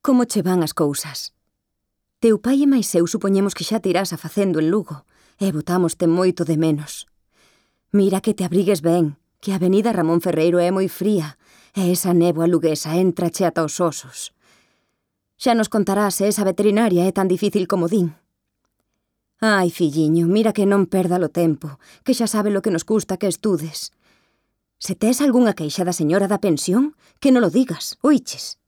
Como che van as cousas? Teu pai e máis eu supoñemos que xa te irás a facendo en Lugo e botámoste moito de menos. Mira que te abrigues ben, que a avenida Ramón Ferreiro é moi fría e esa néboa luguesa entrache ata os osos. Xa nos contarás se esa veterinaria é tan difícil como din. Ai, filliño, mira que non perda o tempo, que xa sabe lo que nos custa que estudes. Se tes algunha queixa da señora da pensión, que non lo digas, oiches?